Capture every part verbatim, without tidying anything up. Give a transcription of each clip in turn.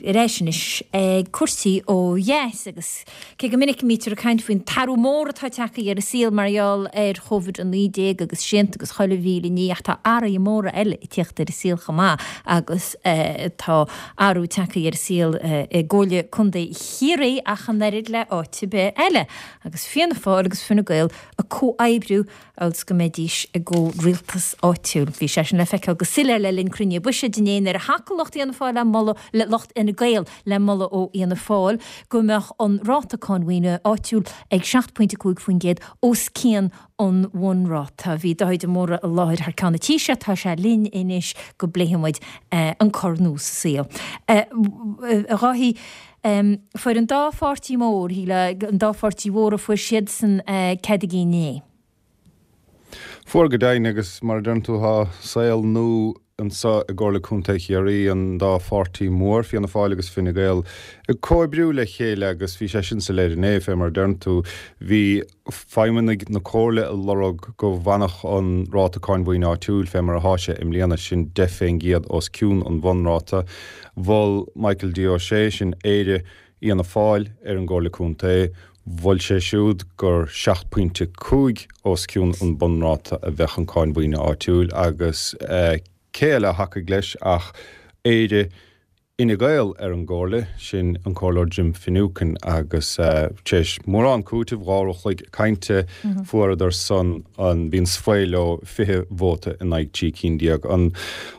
Ar ais anois ag cúrsaí ó dheas agus cé go minic a mbítear ag caint faoin t-athrú mór atá tagtha ar an saol mar gheall ar Covid a naoi déag agus srianta agus chuile mhíle ní ach tá athruithe móra eile ag tíocht ar an saol chomh maith agus tá athrú tagtha ar an saol i gComhairle Contae Chiarraí ach an oiread le áit ar bith eile agus Fianna Fáil agus Fine Gael ag comhoibriú agus go mbeidís i gcomhrialtas áitiúil. Bhí sé sin le feiceáil go soiléir le linn cruinnithe buiséid inné nuair a thacaigh lucht Fhianna Fáil le moladh le lucht Fhine Gael le moladh ó Fhianna Fáil go mbeadh an ráta cáin mhaoine áitiúil ag seacht pointe cúig faoin gcéad os cionn an bhunráta. Bhí Dáithí de Mórdha i láthair thar ceann an Taoisigh, tá sé linn anois go bpléifidh muid an cor nua sa saol. A Dháithí, fuair an dá pháirtí mór, an dá pháirtí mhóra, fuair siadsan cead a gcinn inné. Fuair go deimhin agus mar a deireann tú tá saol nua anseo i gComhairle Contae Chiarraí, an dá pháirtí mór, Fianna Fáil agus Fine Gael, ag comhoibriú le chéile agus bhí sé sin soiléir inné, fé mar a deireann tú. Bhí feidhmeannaigh na Comhairle ag lorg go bhfanfadh an ráta cáin mhaoine áitiúil fé mar atá sé i mbliana, sin deich fén gcéad os cionn an bhunráta. Mhol Michael D. O'Shea, sin Aire Fhianna Fáil ar an gComhairle Contae, mhol sé siúd gur seacht pointe cúig os cionn an bunráta a bheadh an cáin mhaoine áitiúil agus cé eile a thacaigh leis ach Aire Fhine Gael ar an gComhairle, sin an Comhairleoir Jim Finucane agus tar éis mórán cúitimh, dhá uair a chloig cainte, fuaireadar san an, bhí an svae leo, fiche vóta in aghaidh trí cinn déag. An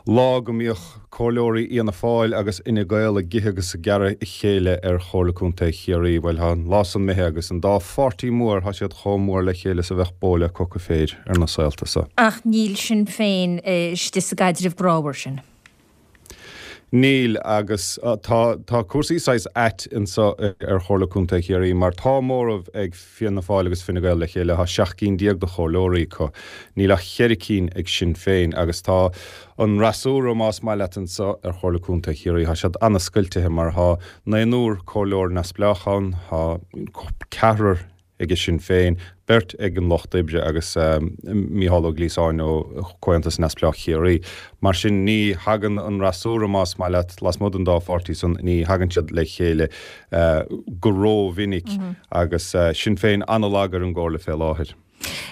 lá go mbíodh Comhairleoirí Fhianna Fáil agus Fhine Gael ag ithe agus ag gearradh a chéile ar Chomhairle Contae Chiarraí, bhuel, tá an lá san imithe agus an dá pháirtí mór, tá siad chomh mór le chéile is a bheadh bó le coca féir ar na saolta so. Ach níl Sinn Féin istigh sa gcaidreamh grámhar sin. Níl, agus tá tá cúrsaí saghas ait anso ar Chomhairle Contae Chiarraí mar tá móramh ag Fianna Fáil agus Fine Gael le chéile, tá seacht gcinn déag de chomhairleoirí acu, níl ach cheithre cinn ag Sinn Féin agus tá an fhreasúra, más maith leat, anso ar Chomhairle Contae Chiarraí, tá siad ana-scoiltithe mar tá naonúr comhairleoir neamhspleách ann, tá ceathrar ag Sinn Féin, beirt ag an Lucht Oibre agus Mícheál Ó Gliasáin ó Chomhaontas Neamhspleách Chiarraí. Mar sin ní thagann an fhreasúra, más maith leat, lasmuigh den dá pháirtí san, ní thagann siad le chéile go rómhinic agus Sinn Féin an-lag ar an gComhairle fé láthair.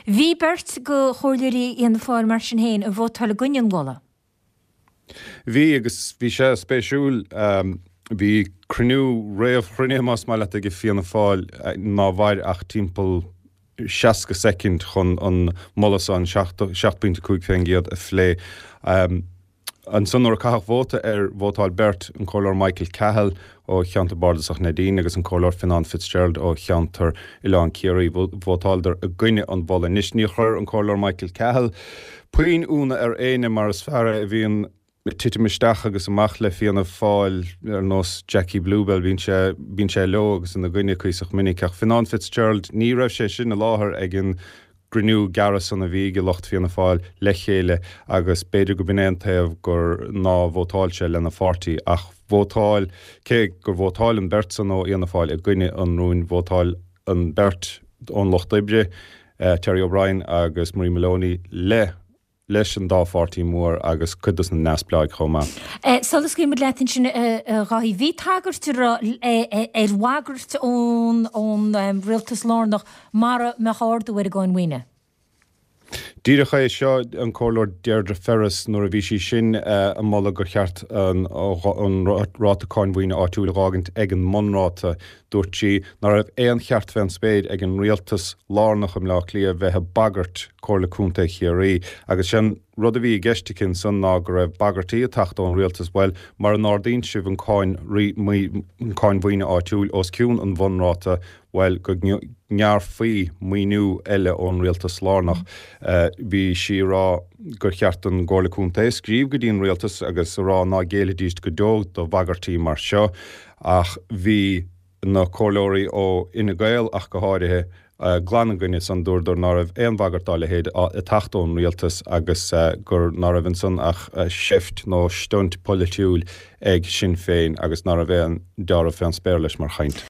Bhí beirt de chomhairleoirí Fhianna Fáil mar sin féin ag vótáil i gcoinne an mholadh. Bhí, agus bhí sé spéisiúil. Bhí cruinniú, réamhchruinniú más maith leat, ag Fianna Fáil ná mhair ach timpeall seasca soicind chun an moladh san, seacht bpointe cúig fén gcéad, a phlé. Ansan nuair a caitheadh vóta air, vótáil beirt, an Comhairleoir Michael Cahill ó cheantar bardasach Neidín agus an Comhairleoir Fionnán Fitzgerald ó cheantar Oileán Ciarraí, vótáileadar i gcoinne an mholaidh. Anois níor chuir an Comhairleoir Michael Cahill puinn ionadh ar éinne mar is fear é a bhíonn ag titim isteach agus amach le Fianna Fáil ar nós Jackie Bluebell, bíonn sé, bíonn sé leo agus ina gcoinne cuíosach minic. Ach Fionnán Fitzgerald, ní raibh sé sin i láthair ag an gcruinniú gearr san a bhí ag lucht Fianna Fáil le chéile agus b'fhéidir go b'in é an taobh gur ná vótáil sé lena pháirtí ach vótáil, cé gur vótáil an bheirt san ó Fhianna Fáil i gcoinne an rúin, vótáil an bheirt ón Lucht Oibre, Terry O'Brien agus Marie Moloney le. leis an dá pháirtí mór agus cuid dos na neamhspleáigh chomh maith. Sula scaoilfidh muid leat ansin a Dháithí, bhí tagairt ar bhagairt ón rialtas lárnach mara mbeadh ardú ar an gcáin mhaoine. Díreach é seo, an Comhairleoir Deirdre Ferris, nuair a bhí sí sin ag moladh gur cheart an ráta cáin mhaoine áitiúil a dh'fhágaint ag an mbunráta, dúirt sí ná raibh aon cheart fén spéir ag an rialtas lárnach i mBleá Cliath bheith ag bagairt Comhairle Contae Chiarraí agus sé an rud a bhí i gceist aici ansan ná go raibh bagairtí ag teacht ón rialtas, bhuel, mara n-ardaíonn sibh an cáin an cáin mhaoine áitiúil os cionn an bhunráta, bhuel, go ngearrfaí maoiniú eile ón rialtas lárnach. Bhí sí ag rá gur cheart don gComhairle Contae scríobh go dtí an rialtas agus a rá ná géillfidís go deo do bhagairtí mar seo ach bhí na comhairleoirí ó Fhine Gael ach go háirithe, glan ina gcoinne san. Dúradar ná raibh aon bhagairt dá leithéid ag teacht ón rialtas agus gur ná raibh ansan ach seift nó stunt polaitiúil ag Sinn Féin agus ná raibh aon deáramh fén spéir leis mar chaint.